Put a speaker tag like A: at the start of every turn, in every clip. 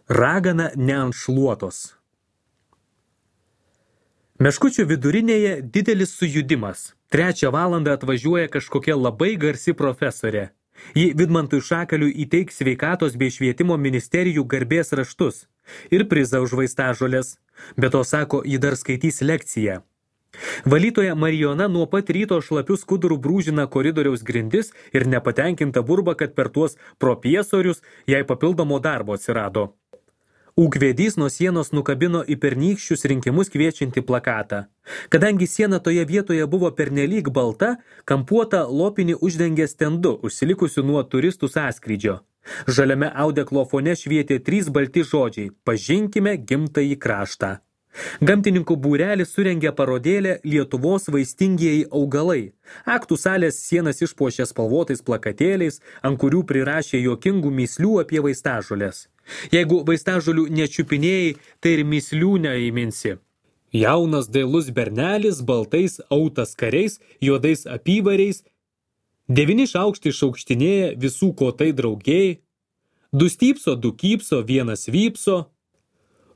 A: Ragana neantšluotos. Meškučių vidurinėje didelis sujudimas. 3 valandą atvažiuoja kažkokia labai garsi profesorė. Ji Vidmantui Šakaliui įteiks sveikatos bei švietimo ministerijų garbės raštus ir prizą už vaistažolės. Be to, sako, ji dar skaitys lekciją. Valytoja Marijona nuo pat ryto šlapių skudurų brūžina koridoriaus grindis ir nepatenkinta burba, kad per tuos propiesorius jai papildomo darbo atsirado. Ūkvedys nuo sienos nukabino į pernykščius rinkimus kviečiantį plakatą. Kadangi siena toje vietoje buvo pernelyg balta, kampuotą lopinį uždengė stendu, užsilikusiu nuo turistų sąskrydžio. Žaliame audeklo fone švietė 3 balti žodžiai – pažinkime gimtąjį kraštą. Gamtininkų būrelis surengė parodėlę Lietuvos vaistingieji augalai. Aktų salės sienas išpuošė spalvotais plakatėliais, ant kurių prirašė juokingų mįslių apie vaistažolės. Jeigu vaistažolių nečiupinėjai, tai ir mįslių neįminsi. Jaunas dailus bernelis, baltais autas kariais, juodais apyvariais, 9 šaukštai šaukštinėja, visų kotai draugėjai, 2 stypso, 2 kypso, 1 vypso,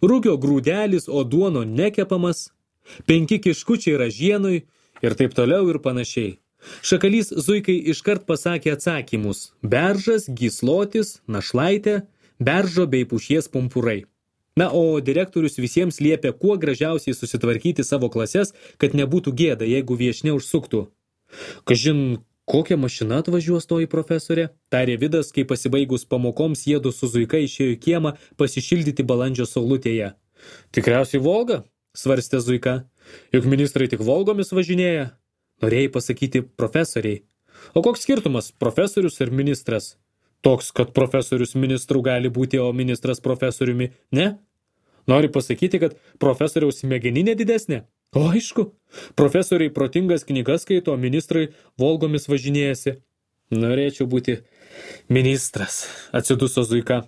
A: rugio grūdelis, o duono nekepamas, 5 kiškučiai ražienui ir taip toliau ir panašiai. Šakalys Zuikai iškart pasakė atsakymus – beržas, gyslotis, našlaitė, beržo bei pušies pumpurai. Na, o direktorius visiems liepė kuo gražiausiai susitvarkyti savo klases, kad nebūtų gėda, jeigu viešnia užsuktų. Kažin, kokia mašina atvažiuos toji profesorė? Tarė Vidas, kai pasibaigus pamokoms jiedu su Zuika išėjo į kiemą pasišildyti balandžio saulutėje. Tikriausiai Volga, svarstė Zuika. Juk ministrai tik Volgomis važinėja. Norėjai pasakyti profesoriai. O koks skirtumas, profesorius ir ministras? Toks, kad profesorius ministrų gali būti, o ministras profesoriumi ne? Nori pasakyti, kad profesoriaus smegeninė didesnė? O aišku, profesoriai protingas knygas skaito, o ministrai Volgomis važinėjasi. Norėčiau būti ministras, atsiduso Zuika.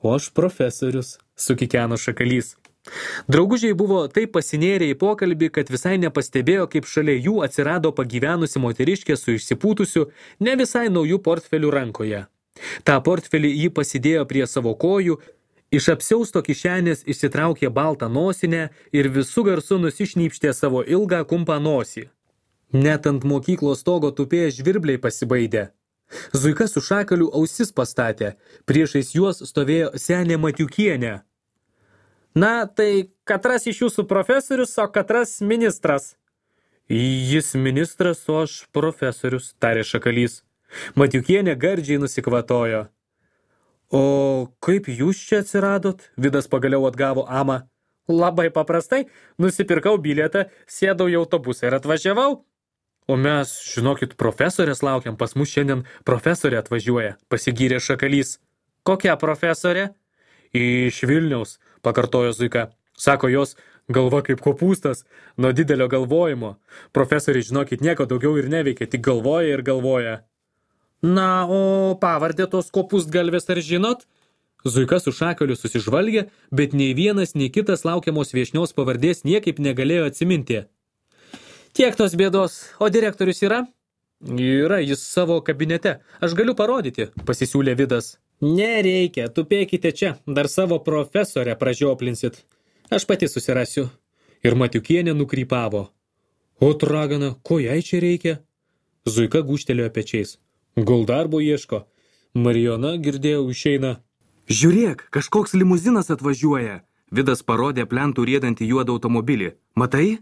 A: O aš profesorius, sukikeno Šakalys. Draugužiai buvo taip pasinėrę į pokalbį, kad visai nepastebėjo, kaip šalia jų atsirado pagyvenusi moteriškė su išsipūtusiu, ne visai naujų portfelių rankoje. Ta portfelį jį pasidėjo prie savo kojų, iš apsiausto kišenės išsitraukė baltą nosinę ir visų garsų nusišnypštė savo ilgą kumpą nosį. Net ant mokyklos stogo tupėję žvirbliai pasibaidė. Zuika su Šakaliu ausis pastatė, priešais juos stovėjo senė Matiukienė. Na, tai katras iš jūsų profesorius, o katras ministras? Jis ministras, o aš profesorius, tarė Šakalys. Matiukienė gardžiai nusikvatojo. O kaip jūs čia atsiradot? Vidas pagaliau atgavo amą. Labai paprastai, nusipirkau bilietą, sėdau į autobusą ir atvažiavau. O mes, žinokit, profesorės laukiam, pas mus šiandien profesorė atvažiuoja, pasigyrė Šakalys. Kokia profesorė? Iš Vilniaus, pakartojo Zuika. Sako, jos galva kaip kopūstas, nuo didelio galvojimo. Profesoriai, žinokit, nieko daugiau ir neveikia, tik galvoja ir galvoja. Na, o pavardė tos kopūstgalvės ar žinot? Zuika su Šakaliu susižvalgė, bet nei vienas, nei kitas laukiamos viešnios pavardės niekaip negalėjo atsiminti. Tiek tos bėdos, o direktorius yra? Yra, jis savo kabinete. Aš galiu parodyti, pasisiūlė Vidas. Nereikia, tupėkite čia, dar savo profesorę pražioplinsit. Aš pati susirasiu. Ir Matiukienė nukrypavo. O ragana, ko jai čia reikia? Zuika gūžtelėjo pečiais. Gal darbo ieško. Marijona, girdėjau, išeina. Žiūrėk, kažkoks limuzinas atvažiuoja. Vidas parodė plentų riedantį juodą automobilį. Matai?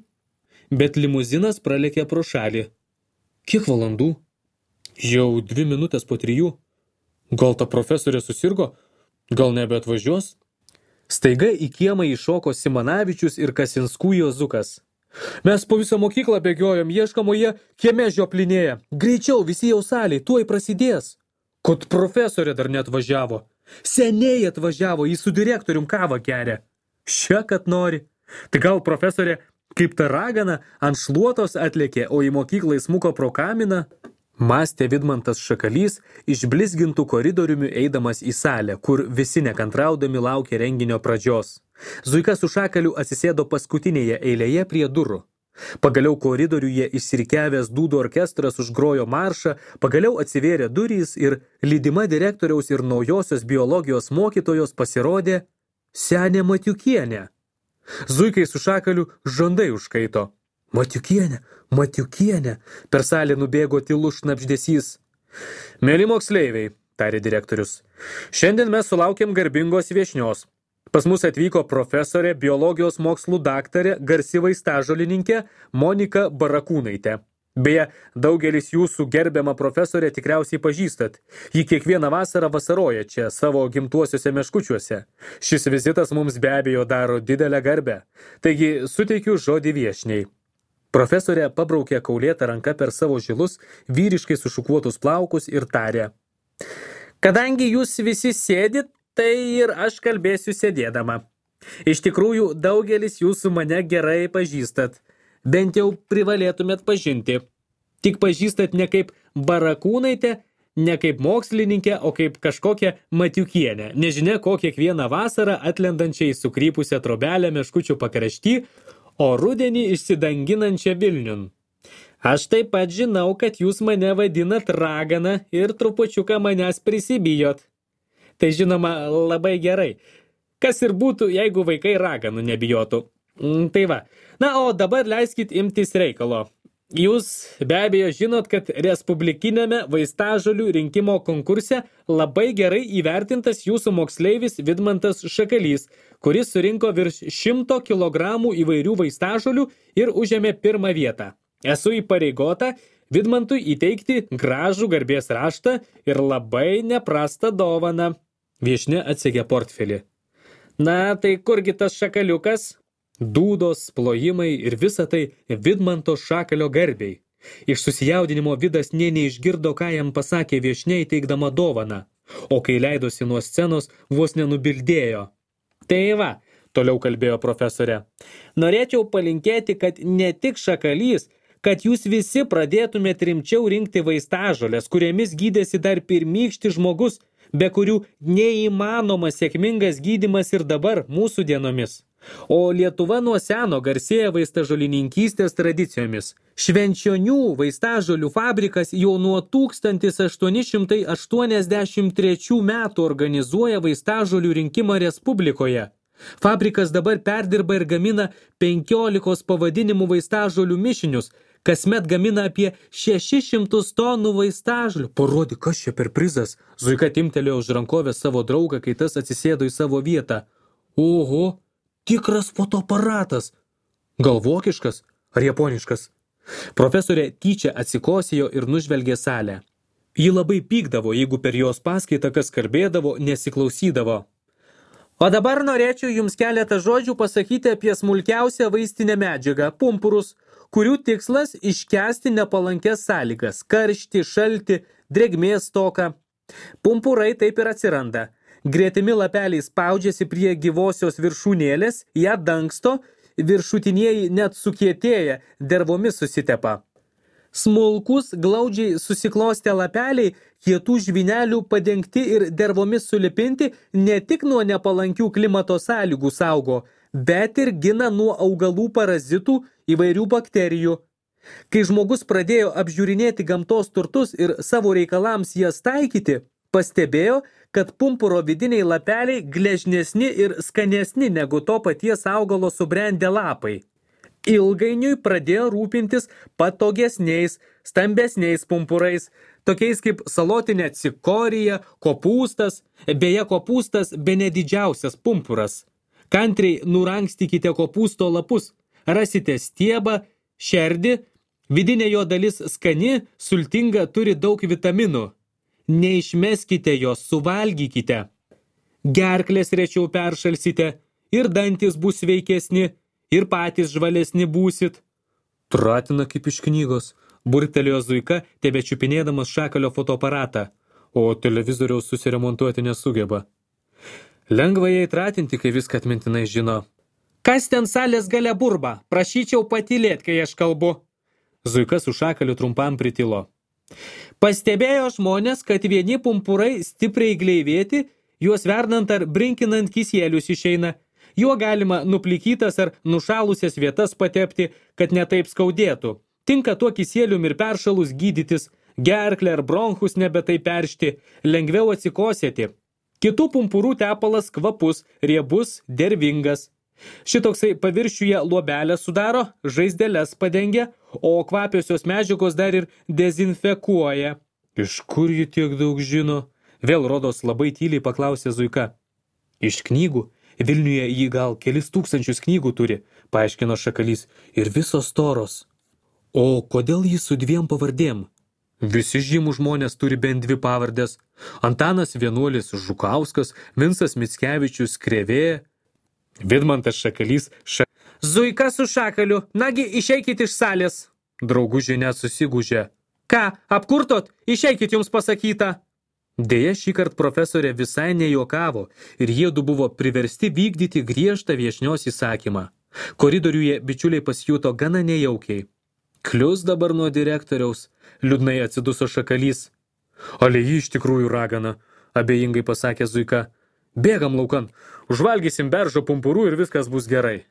A: Bet limuzinas pralėkė pro šalį. Kiek valandų? Jau 2 minutės po 3. Gal ta profesorė susirgo? Gal nebeatvažiuos? Staiga į kiemą įšoko Simanavičius ir Kasinskų Jozukas. Mes po visą mokyklą bėgiojom, ieškamoje kieme žioplinėje. Greičiau, visi jau salėj, tuoj prasidės. Kad profesorė dar neatvažiavo. Seniai atvažiavo, jis su direktorium kavą geria. Šia, kad nori. Tai gal profesorė kaip ta ragana ant šluotos atlėkė, o į mokyklą įsmuko pro kaminą? Mąstė Vidmantas Šakalys, išblizgintų koridoriumi eidamas į salę, kur visi nekantraudami laukė renginio pradžios. Zuika su Šakaliu atsisėdo paskutinėje eilėje prie durų. Pagaliau koridoriuje išsirikiavęs dūdų orkestras užgrojo maršą, pagaliau atsivėrė durys ir lydima direktoriaus ir naujosios biologijos mokytojos pasirodė senė Matiukienė. Zuikai su Šakaliu žandai užkaito. Matiukienė, per salę nubėgo tylus šnabždesys. Mėly moksleiviai, tarė direktorius, šiandien mes sulaukėm garbingos viešnios. Pas mus atvyko profesorė, biologijos mokslų daktarė, garsi vaistažolininkė Monika Barakūnaitė. Beje, daugelis jūsų gerbiamą profesorę tikriausiai pažįstat. Ji kiekvieną vasarą vasaroja čia savo gimtuosiuose meškučiuose. Šis vizitas mums be abejo daro didelę garbę. Taigi suteikiu žodį viešniai. Profesorė pabraukė kaulėtą ranką per savo žilus, vyriškai sušukuotus plaukus ir tarė. Kadangi jūs visi sėdit, tai ir aš kalbėsiu sėdėdama. Iš tikrųjų, daugelis jūsų mane gerai pažįstat. Bent jau privalėtumėt pažinti. Tik pažįstat ne kaip Barakūnaitę, ne kaip mokslininkę, o kaip kažkokią Matiukienę. Nežinia, ko kiekvieną vasarą atlendančiai sukrypusią trobelę meškučių pakrašty, o rudenį išsidanginančią Vilniun. Aš taip pat žinau, kad jūs mane vadinat ragana ir trupučiuką manęs prisibijot. Tai žinoma labai gerai. Kas ir būtų, jeigu vaikai raganų nebijotų. Tai va. Na, o dabar leiskit imtis reikalo. Jūs be abejo žinot, kad respublikinėme vaistažolių rinkimo konkurse labai gerai įvertintas jūsų moksleivis Vidmantas Šakalys, kuris surinko virš 100 kilogramų įvairių vaistažolių ir užėmė pirmą vietą. Esu įpareigota Vidmantui įteikti gražų garbės raštą ir labai neprastą dovaną. Viešnia atsegė portfelį. Na, tai kurgi tas šakaliukas? Dūdos, plojimai ir visa tai Vidmanto Šakalio garbei. Iš susijaudinimo Vidas nė neišgirdo, ką jam pasakė viešniai teikdama dovaną, o kai leidosi nuo scenos, vos nenubildėjo. Tai va, toliau kalbėjo profesorė, norėčiau palinkėti, kad ne tik Šakalys, kad jūs visi pradėtumėt rimčiau rinkti vaistažoles, kuriamis gydėsi dar pirmykštis žmogus, be kurių neįmanomas sėkmingas gydymas ir dabar mūsų dienomis. O Lietuva nuo seno garsėja vaistažolininkystės tradicijomis. Švenčionių vaistažolių fabrikas jau nuo 1883 metų organizuoja vaistažolių rinkimą Respublikoje. Fabrikas dabar perdirba ir gamina 15 pavadinimų vaistažolių mišinius, kasmet gamina apie 600 tonų vaistažolių. Parodyk, kas čia per prizas. Zuika timtelėjo už rankovės savo draugą, kai tas atsisėdo į savo vietą. Oho, tikras fotoaparatas. Gal vokiškas ar japoniškas? Profesorė tyčia atsikosėjo ir nužvelgė salę. Ji labai pykdavo, jeigu per jos paskaitą kas kalbėdavo, nesiklausydavo. O dabar norėčiau jums keletą žodžių pasakyti apie smulkiausią vaistinę medžiagą – pumpurus, kurių tikslas iškęsti nepalankės sąlygas – karštį, šaltį, drėgmės stoką. Pumpurai taip ir atsiranda. Gretimi lapeliai spaudžiasi prie gyvosios viršūnėlės, ją dangsto, viršutinieji net sukietėja, dervomis susitepa. Smulkus, glaudžiai susiklostę lapeliai, kietų žvynelių padengti ir dervomis sulipinti ne tik nuo nepalankių klimato sąlygų saugo, bet ir gina nuo augalų parazitų įvairių bakterijų. Kai žmogus pradėjo apžiūrinėti gamtos turtus ir savo reikalams jas taikyti, pastebėjo, kad pumpuro vidiniai lapeliai gležnesni ir skanesni negu to paties augalo subrendę lapai. Ilgainiui pradėjo rūpintis patogesniais, stambesniais pumpurais, tokiais kaip salotinė cikorija, kopūstas, beje kopūstas bene didžiausias pumpuras. Kantriai nurankstykite kopūsto lapus, rasite stiebą, šerdį, vidinė jo dalis skani, sultinga, turi daug vitaminų. Neišmeskite jos, suvalgykite. Gerklės rečiau peršalsite ir dantis bus sveikesni, ir patys žvalesni būsit. Tratina kaip iš knygos, burktelėjo Zuika, tebečiupinėdamas Šakalio fotoaparatą, o televizoriaus susiremontuoti nesugeba. Lengva jai tratinti, kai viską atmintinai žino. Kas ten salės gale burba? Prašyčiau patylėt, kai aš kalbu. Zuika su Šakaliu trumpam pritilo. Pastebėjo žmonės, kad vieni pumpurai stipriai gleivėti, juos verdant ar brinkinant kisielius išeina. Juo galima nuplikytas ar nušalusias vietas patepti, kad netaip skaudėtų. Tinka tuo kisielium ir peršalus gydytis, gerklę ar bronchus nebetai peršti, lengviau atsikosėti. Kitų pumpurų tepalas kvapus, riebus, dervingas. Šitoksai paviršiuje luobelę sudaro, žaizdeles padengia, o kvapiosios medžiagos dar ir dezinfekuoja. Iš kur ji tiek daug žino? Vėl rodos labai tyliai paklausė Zuika. Iš knygų. Vilniuje jį gal kelis tūkstančius knygų turi, paaiškino Šakalys, ir visos storos. O kodėl jis su 2 pavardėm? Visi žymų žmonės turi bent 2 pavardės. Antanas Vienuolis Žukauskas, Vincas Mickevičius Krėvė. Vidmantas Šakalys Zuika su Šakaliu, nagi išeikit iš salės. Draugužė net susigūžė. Ką, apkurtot? Išeikit jums pasakyta. Deja, šįkart profesorė visai nejuokavo ir jiedu buvo priversti vykdyti griežtą viešnios įsakymą. Koridoriuje bičiuliai pasijuto gana nejaukiai. Klius dabar nuo direktoriaus, liūdnai atsiduso Šakalys. Ale ji iš tikrųjų ragana, abejingai pasakė Zuika. Bėgam laukan, užvalgysim beržo pumpurų ir viskas bus gerai.